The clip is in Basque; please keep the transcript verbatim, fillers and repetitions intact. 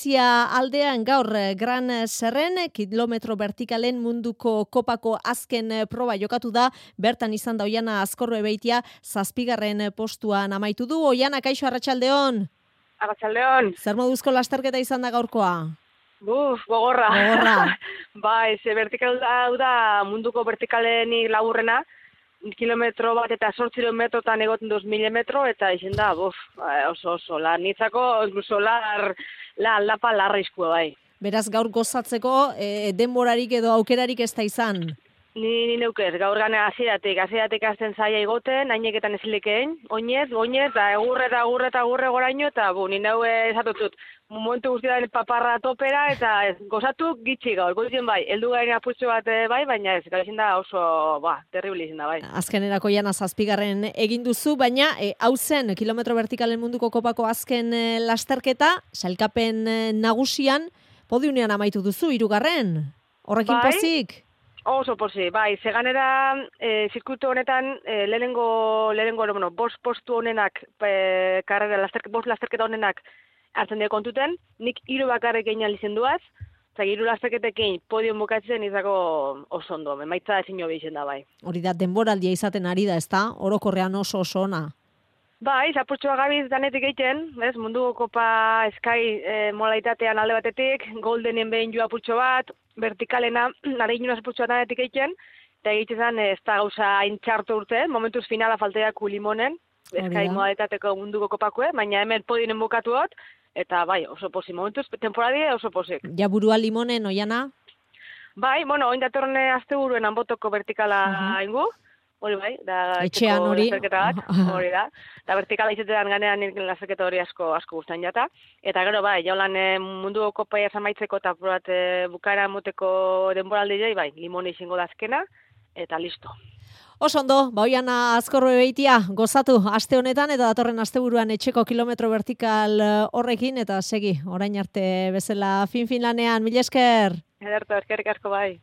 Zia aldean gaur Gran Zerren kilometro vertikalen munduko kopako azken proba jokatu da, bertan izan da Oiana Azkorro Ebeitia zazpigarren postuan amaitu du. Oiana, kaixo, arratsaldeon. Arratsaldeon. Zer moduzko lasterketa izan da gaurkoa? Buf, gogorra. Gogorra. Bai, ze vertikal hau da munduko vertikalenik laburrena, kilometro bat eta zortziron metrotan egoten duz mila metro, eta izan da, buf, oso oso, la nitzako, incluso lar, la aldapa larrizkoa bai. Beraz, gaur gozatzeko e, denborarik edo aukerarik ez da izan? Ni, ni neukez, gaur gane hasieratik, hasieratik azten zaila igoten, haineketan ezilekein, oinez, oinez, da egurre eta egurre eta egurre goraino, eta bu, ni neu esatutut, momentu guztietan paparra topera, eta ez, gozatu gitxi gaur, gozien bai, heldu garen aputxo bat bai, baina ez, gau izin da oso, ba, terrible izin da bai. Azkenerako Oiana zazpigarren egin duzu, baina e, hau zen, kilometro vertikalen munduko kopako azken e, lasterketa, sailkapen e, nagusian, podiunean amaitu duzu, hirugarren, horrekin bai? pozik? Oso posi, bai, zeganera e, zirkuito honetan e, lehenengo, lehenengo, bueno, bost postu honenak, e, karrera, lasterk, bost lasterketa honenak hartzen dira kontuten, nik hiru bakarrik egin alizen duaz, eta hiru lasterketekin podium bukatzen izako oso ondo, emaitza ezin hobi izen da bai. Hori da, denboraldia izaten ari da, ezta? Orokorrean oso oso ona. Bai, zapurtxoa gabiz danetik egiten, ez, munduko kopa Sky e, modalitatean alde batetik, Goldenen behin joa putxo bat, vertikalena, nare inunaz putxoa danetik egiten, eta egiten zen ez da gauza hain txartu urte, momentuz finala falteak limonen, Sky modalitateko munduko kopakue, baina hemen podinen bukatu hot, eta bai, oso posi, momentuz, temporadie oso posik. Ja burua limonen, Oiana? Bai, bueno, oin datorne azte buruen anbotoko vertikala uh-huh. ingu, hori bai, da etxean hori, hori da. Da vertikala izatetan ganean lasterketa hori asko asko gustan jata. Eta gero bai, jaulan e, mundu kopaia zamaitzeko eta probat e, bukaera moteko denboraldi jai, bai, limone izango da azkena, eta listo. Oso ondo, ba Oiana Azkorro Ebeitia, gozatu aste honetan eta datorren asteburuan etxeko kilometro vertikal horrekin, eta segi, orain arte bezala fin-fin lanean, mila esker. Ederto, eskerrik asko bai.